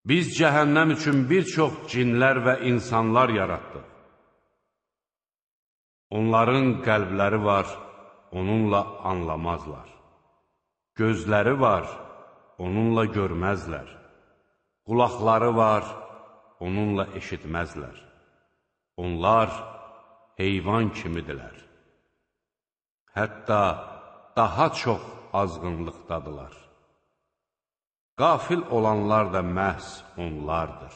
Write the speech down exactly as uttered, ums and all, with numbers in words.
Biz cəhənnəm üçün bir çox cinlər və insanlar yaratdıq. Onların qəlbləri var, onunla anlamazlar. Gözləri var, onunla görməzlər. Qulaqları var, onunla eşitməzlər. Onlar heyvan kimidirlər. Hətta daha çox azğınlıqdadılar. Qafil olanlar da məhz onlardır.